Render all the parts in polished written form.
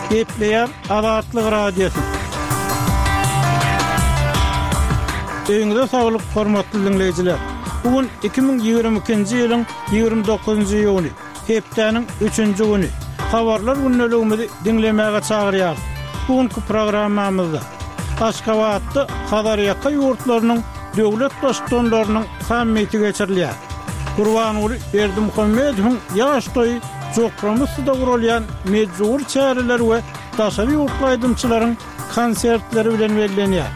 Gepleýär Azatlyk Radiosy. Öýüňize saglyk, hormatly diňleýjiler! Bu gün 2022-nji ýylyň 29-njy iýuny, hepdäniň üçünji güni. Habarlar gündeligimizi diňlemäge çagyrýarys. Bu günki programmamyzda Aşgabatda Hazarýaka ýurtlarynyň döwlet Baştutanlarynyň sammiti geçirilýär. Gurbanguly Berdimuhamedowyň ýaş toýy Jokramussyda guralýan mejbury çäreler we daşary ýurtly aýdymçylaryň konsertleri bilen bellenýär.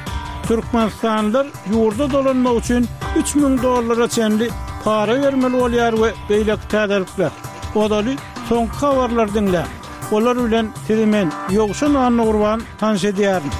Türkmenistanlylar ýurda dolanmak üçin 3000 dollara çenli para bermeli bolýar we beýleki täzelikler. Ozaly soňky habarlary diňläň. Olar bilen sizi men, Ýowşan Annagurban tanyş edýärin.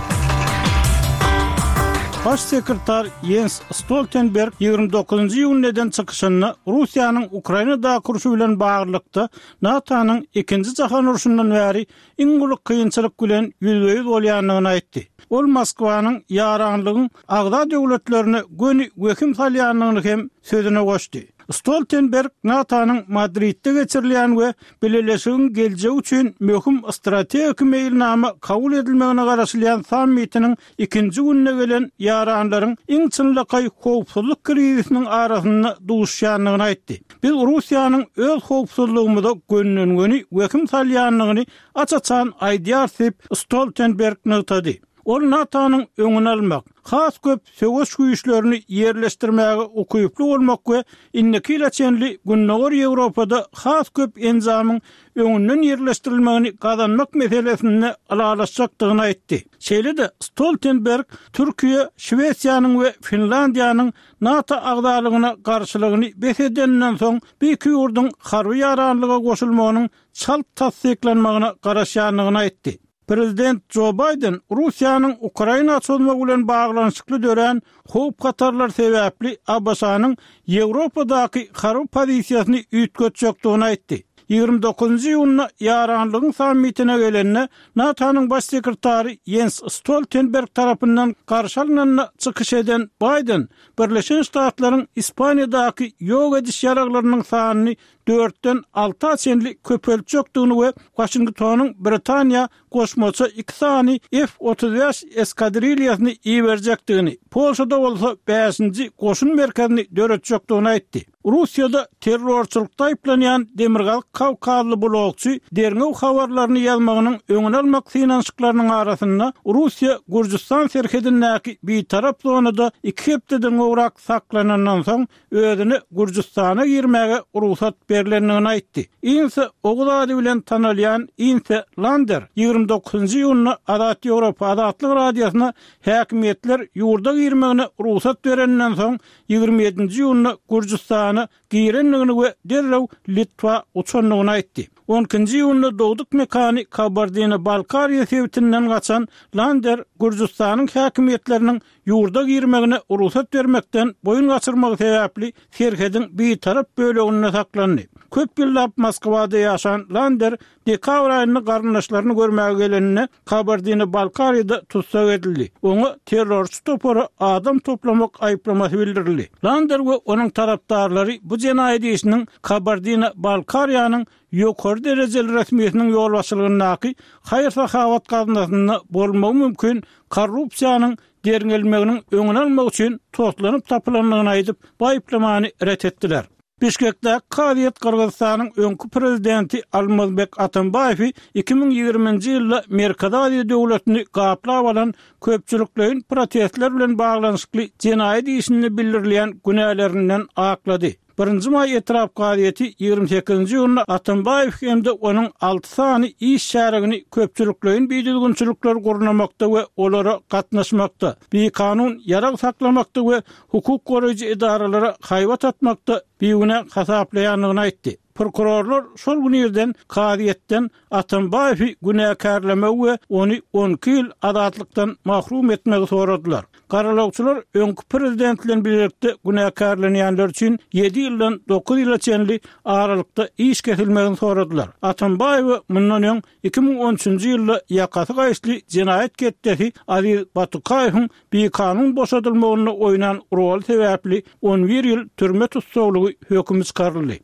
Baş sekretar Ýens Stoltenberg 29-njy iýunda eden çykyşynda Russiýanyň Ukrainadaky urşy bilen baglylykda NATO-nyň Ikinji jahan urşundan bäri iň uly kynçylyk bilen ýüzbe-ýüz bolýandygyny aýtdy. Ol Moskwanyň ýaranlygyň agza döwletlerine göni wehim salýandygyny hem sözüne goşdy. Stoltenberg NATO-nyň Madridde geçirilýän we Bileleşigiň geljegi üçin möhüm strategik meýilnama kabul edilmegine garaşylýan sammitiniň ikinji gününe gelen ýaranlaryň iň çynlakaý howpsuzlyk krizisiniň arasynda duşýandygyny aýtdy. Biz Russiýanyň öz howpsuzlygymyza gönden-göni wehim salýandygyny aç-açan aýdýarys diýip, Stoltenberg nygtady. Ol NATO-nyň öňüni almak, has köp söweş güýçlerini ýerleşdirmäge ukyply bolmak we indiki ýyla çenli Gündogar Ýewropada has köp enjamyň öňünden ýerleşdirilmegini gazanmak meselesinde ylalaşjakdygyny aýtdy. Şeýle-de Stoltenberg Türkiýe, Şwesiýanyň we Finlandiýanyň NATO agzalygyna garşylygyny bes edeninden soň bu iki ýurduň harby ýaranlyga goşulmagynyň çalt tassyklanmagyna garaşýandygyny aýtdy. Prezident Jo Baýden Russiýanyň Ukraina çozmagy bilen baglanyşykly dörän howp-hatarlar sebäpli ABŞ-nyň Ýewropadaky harby pozisiýasyny üýtgetjekdigini aýtdy. 29-njy iýunda ýaranlygyň sammitine gelende, NATO-nyň Baş sekretary Ýens Stoltenberg tarapyndan garşy alnanda çykyş eden Baýden Birleşen Ştatlaryň Ispaniýadaky ýok ediş ýaraglarynyň sanyny dörtden alta çenli köpeltjekdigini we Waşingtonyň Britaniýa goşmaça iki sany F 35 eskadrilýasyny iberjekdigini, Polşada bolsa bäşinji goşun merkezini döretjekdigini aýtdy. Russiýada terrorçylykda aýyplanýan Demirgazyk Kawkazly blogçy derňew habarlaryny ýazmagynyň öňüni almak synanyşyklarynyň arasynda Russiýa-Gürjüstan serhedindäki bitarap zonada iki hepdeden gowrak saklanandan soň özüne Gürjüstana girmäge rugsat berlendigini aýtdy. Insa Oguz ady bilen tanalýan Inse Lander 29-njy iýunda Azat Ýewropa Azatlyk Radiosyna häkimiýetler ýurda girmegine rugsat bereninden soň 27-nji iýunda Gürjüstana girendigini we derrew Litwa uçandygyny aýtdy. On ikinji iýunda dogduk mekany Kabardino-Balkariýa sebitinden gaçan Lander Gürjüstanyň häkimiýetleriniň ýurda girmegine rugsat bermekden boýun gaçyrmagy sebäpli serhediň bitarap böleginde saklandy. Köp ýyllap Moskwada ýaşan Lander dekabr aýynda garyndaşlaryny görmäge geleninde Kabardino-Balkariýada tussag edildi. Oňa terrorçy topara adam toplamak aýyplamasy bildirildi. Lander we onuň tarapdarlary bu jenaýat işiniň Kabardino-Balkariýanyň ýokary derejeli resmisiniň ýolbaşçylygyndaky haýyr-sahawat gaznasynda bolmagy mümkin korrupsiýanyň derňelmeginiň öňüni almak üçin toslanyp tapylandygyny aýdyp, bu aýyplamany ret etdiler. Bişkekdäki kazyýet Gyrgyzystanyň öňki prezidenti Almazbek Atambaýewi 2020-nji ýylda Merkezi Aziýa döwletini gaplap alan köpçülikleýin protestler bilen baglanyşykly jenaýat işinde bildirilýän günälerinden aklady. Birinji maý etrap kazyýeti 28-nji iýunda Atambaýew hem-de onuň alty sany iş şärigini köpçülikleýin bidüzgünçilikleri gurnamakda we olara gatnaşmakda, bikanun ýarag saklamakda we hukuk goraýjy edaralara haýbat atmakda bigünä hasaplaýandygyny aýtdy. Prokurorlar şol gün irden kazyýetden Atambaýewi günäkärlemegi we ony 12 ýyl azatlykdan mahrum etmegi soradylar. Garalawçylar öňki prezident bilen bilelikde günäkärlenýänler üçin ýedi ýyldan dokuz ýyla çenli aralykda iş kesilmegini soradylar. Atambaýewe mundan öň 2013-nji ýylda ýakasy gaýyşly jenaýat ketdesi Aziz Batukaýewiň bikanun boşadylmagynda oýnan roly sebäpli on bir ýyl türme tussaglygy hökümi çykaryldy.